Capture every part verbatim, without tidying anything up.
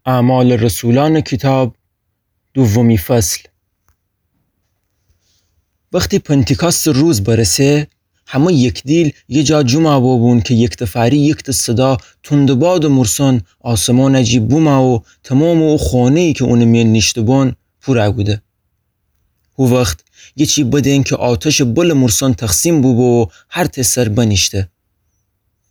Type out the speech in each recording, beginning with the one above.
اعمال رسولان کیتاب، دومی فصل. وختی پنتیکاستٚ روز برسه، همه یکدیل یه جا جومأ بوبون کی یکتفأری یکته صدا توندٚ بادٚ مورسون آسمانٚ جی بومأ و تومامٚ او خونه‌یی کی اونٚ میأن نیشته‌بون پورأ کوده. هو وخت گیچی بدین کی آتشٚ بلٚ مورسون تقسیم بوبو و هرتأ سر بنیشته.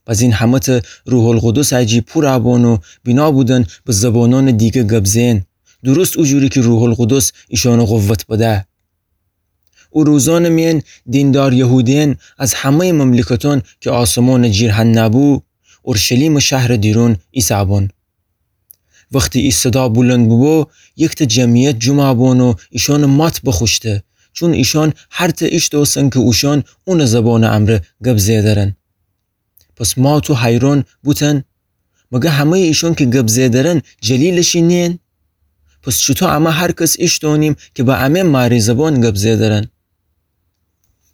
بزین همه‌تأ روح‌القدسٚ جی پورأ بون و بینا بودن به زبانونٚ دیگه گب زئن، درست او جوری کی روح‌القدس ایشانَ قوت بده. او روزانٚ میأن دیندار یهودیأن از همه‌یٚ مملکتأن کی آسمانٚ جیر هنَ بو، اورشلیمٚ شهرٚ دیرون ایسه‌بون. وختی ای صدا بولند بوبو، یکتأ جمعیت جومأ بون و ایشانَ مات بخوشته، چون ایشان هرتأ ایشتوستن کی اوشان اونٚ زبانٚ امرأ گب زئیدرن. پس مات و حیران بوتن: مگه همه‌یٚ ایشان کی گب زئیدرن جلیلٚ شی نیین؟ پس چوطو امه هر کس ایشتونیم کی به امه مأری زبان گب زئیدرن؟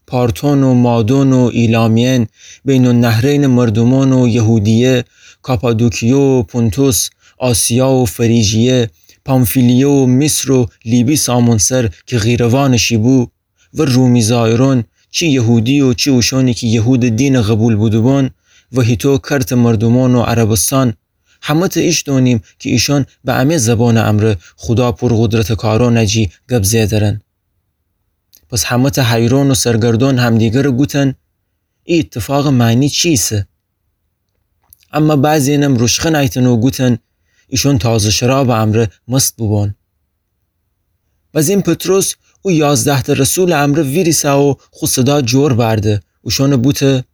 پارتون و مادون و ایلامیأن، بین‌النهرینٚ مردومأن و یهودیه، کاپادوکیه و پونتوس، آسیا و فریجیه، پامفیلیه و مصر و لیبی سامون سر کی قیروانٚ شی بو، و رومی‌زایرون، چی یهودی و چی اوشانی کی یهودٚ دینَ قوبیل بوده‌بون، و هیتو کرتٚ مردومأن و عربستان، همه‌تأ ایشتونیم کی ایشان به امه زبانٚ امرأ خودا پورقدرتٚ کارأنٚ جی گب زئیدرن. پس همه‌تأ حیران و سرگردان همدیگرَ گوتن: ای ایتفاقٚ معنی چی ایسه؟ اما بعضی‌یأنم روشخه نیتن و گوتن: ایشان تازه شرابٚ امرأ مست بوبون. بزین پطرس او یازده‌تأ رسولٚ امرأ ویریسه و خو صدا جور بأرده، اوشانَ بوته: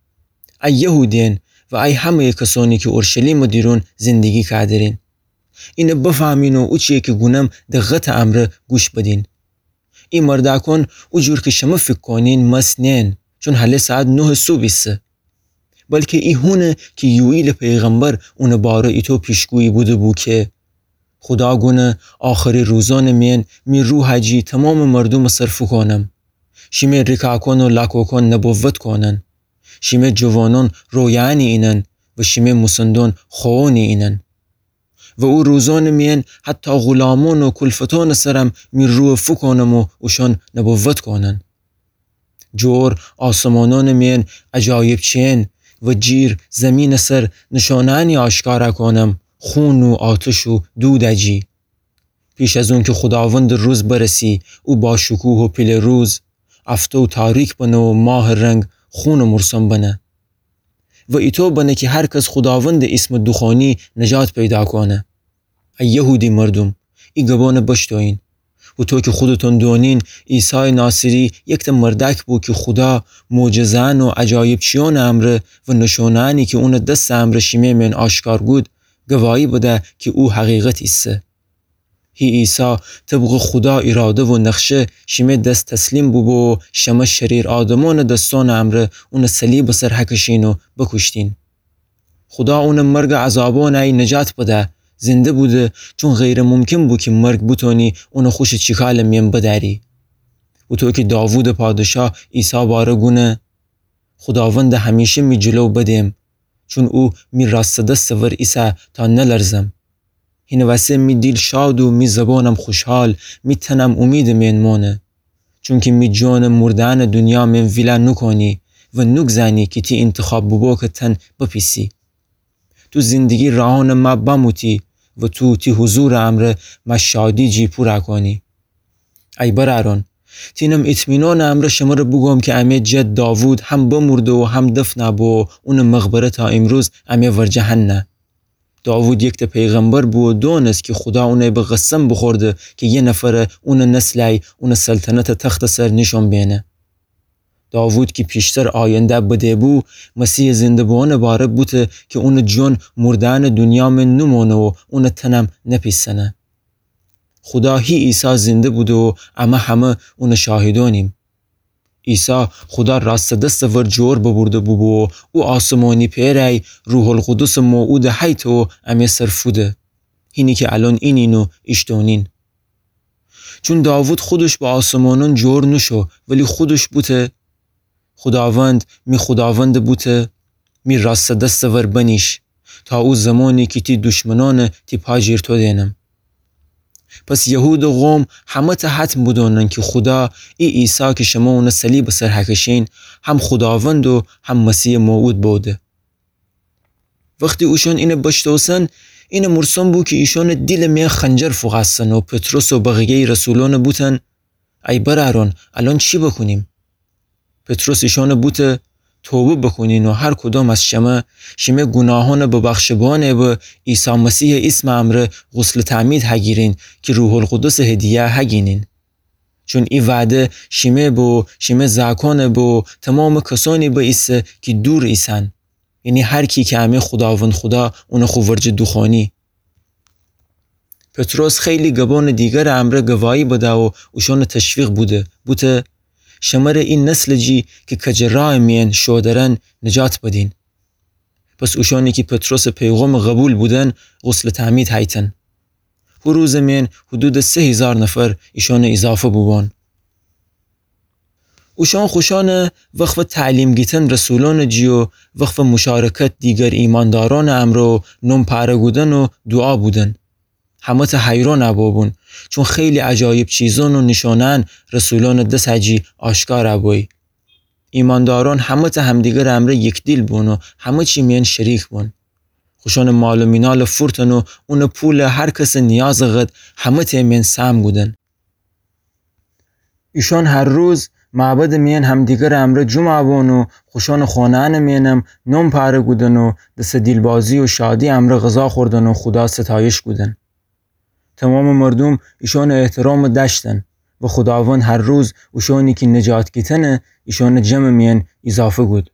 ای یهودیأن و ای همه‌یٚ کسأنی کی اورشلیمٚ دیرون زندگی کأدرین، اینَ بفهمین و اوچی‌یی کی گونم دقتٚ امرأ گوش بدین. ای مردأکأن او جور کی شمه فیکر کونین مست نیین، چون هله ساعت نهٚ صبح ایسه. بلکی ای هونه کی یوئیلٚ پیغمبر اونٚ باره ایتو پیشگویی بوده‌بو کی: خودا گونه آخری روزأنٚ میأن می روحَ جی تومامٚ مردومٚ سر فوکونم. شیمه ریکأکأن و لاکوکأن نبوت کونن. شیمه جوانأن رویأنی اینن و شیمه موسندأن خووأنی اینن. و او روزأنٚ میأن حتی غلامأن و کولفتأنٚ سرم می روح فوکونم و اوشأن نبوت کونن. جور آسمانأنٚ میأن عجایبچیأن و جیر زیمینٚ سر نشانه‌أنی آشکارأ کونم، خون و آتش و دودٚ جی. پیش از اونکی خوداوندٚ روز برسی، او باشکوه و پیله روز، افتو تاریک بنه و ماهٚ رنگ خونٚ مورسون بنه. و ایتو بنه کی هر کس خوداوندٚ ایسمٚ دوخوأنی نجات پیدا کونه. ای یهودی مردوم، ای گبأنٚ بشتوئین. هوطو کی خودتون دونین، عیسایٚ ناصری یکتأ مردأک بو کی خودا معجزه‌أن و عجایبچیأنٚ امرأ و نشونه‌أنی کی اونٚ دسٚ امرأ شیمه میأن آشکار کود، گواهی بده کی او حقیقت ایسه. هی عیسی طبقٚ خودا ایراده و نقشه شیمه دس تسلیم بوبو و شمه شریر آدمأنٚ دسأنٚ امرأ اونٚ صلیبٚ سر هکشین و بوکوشتین. خودا اونٚ مرگٚ عذابأنی نجات بده، زنده بوده، چون غیرٚ ممکن بو کی مرگ بتونی اونٚ خوشٚ چیکالٚ میأن بدأری. هوطو کی داوودٚ پادشاه عیسی باره گونه: خوداوندٚ همیشه می جلو بدیم، چون او می راستٚ دستٚ ور ایسه تا نلرزم. هینٚ وسه می دیل شاد و می زبانم خوشحال، می تنم اومیدٚ میأن مانه. چونکی می جانٚ مورده‌أنٚ دونیا میأن ویلا نوکونی و نوگذأنی کی تی اینتخاب بوبوکٚ تن بپیسی. تو زندگی راهأنٚ مأ بموتی و تو تی حضورٚ امرأ مأ شادی جی پورأ کونی. ای برأرأن، تینم ایطمینانٚ امرأ شمره بوگوم کی امه جد داوود هم بمورده و هم دفنأ بو و اونٚ مقبره تا ایمروز امه ورجه هنه. داوود یکتأ پیغمبر بو و دونست کی خودا اونی به قسم بوخورده کی یه نفر اونٚ نسلی اونٚ سلطنتٚ تختٚ سر نیشأن بینه. داوود کی پیشتر آینده بده‌بو، مسیحٚ زنده بوأنٚ باره بوته کی اونٚ جان مورده‌أنٚ دونیا میأن نومانه و اونٚ تنم نپیسنه. خودا هی عیسی زنده بوده و امه همه اونٚ شاهدأنیم. عیسی خودا راستٚ دستٚ ور جور ببرده بوبو و او آسمانی پئرأی روح‌القدسٚ موعودٚ حیطٚ و امه سر فوده. هینی کی الأن اینین و ایشتونین. چون داوود خودش به آسمانأن جور نوشو، ولی خودش بوته: خوداوند، می خوداوندٚ بوته، می راستٚ دستٚ ور بنیش، تا او زمانی کی تی دشمنأن تی پا جیر تو دینم. پس یهودٚ قوم همه‌تأ حتم بودونن کی خودا ای عیسی کی شمه اونٚ صلیبٚ سر هکشین، هم خوداوند و هم مسیحٚ موعود بوده. وختی اوشأن اینه بشتوسن، اینه مورسن بو کی ایشأنٚ دیلٚ میأن خنجر فوقستن و پطرس و بقیه‌یٚ رسولأن بوتن: ای برأرأن، الأن چی بوکونیم؟ پطرس ایشأن بوته: توبه بوکونین و هر کدام از شمه، شیمه گوناهأن ببخشه بوأنه به عیسی مسیحٚ ایسمٚ امرأ غسلٚ تعمید هگیرین کی روح‌القدسٚ هدیه هگینین. چون ای وعده شیمه به و شیمه زأکأن به و تومامٚ کسأنی به ایسه کی دور ایسن، یعنی هر کی کی امه خوداوند خودا اون خو ورجه دوخوأنی. پطرس خیلی گبأنٚ دیگرٚ امرأ گواهی بده و اوشأن تشویق بوده، بوته: شمره ای نسلٚ جی کی کجٚ راهٚ میأن شو درن نجات بدین. پس اوشأنی کی پطرسٚ پیغامٚ قوبیل بودن، غسلٚ تعمید هیتن. هو روزٚ میأن حدودٚ سه هیزار نفر ایشأن ایضافه بوبان. اوشأن خوشأن وقفٚ تعلیم گیتن رسولأنٚ جی و وقفٚ مشارکت دیگر ایماندارأنٚ امرأ و نوم پأره کودن و دوعا بودن. همه‌تأ حیران بوبون، چون خیلی عجایب چیزأن و نیشأنه‌یأن رسولأنٚ دس جی آشکار بویی. ایماندارأن همه‌تأ همدیگرٚ امرأ یکدیل بون و همه چی میأن شریک بون. خوشأنٚ مال و مینال فورتن و اونٚ پول هر کسٚ نیازٚ قد همه‌تأ میأن سهم کودن. ایشأن هر روز معبدٚ میأن همدیگرٚ امرأ جمع بون و خوشأنٚ خانه‌یأنٚ میأنم نوم پأره کودن و دسٚ دیلبازی و شادی امرأ غذا خوردن و خودا ستایش کودن. تومامٚ مردوم ایشأنٚ احترام دأشتن و خوداوند هر روز اوشأنی کی نجات گیتنه ایشأنٚ جمعٚ میأن ایضافه کود.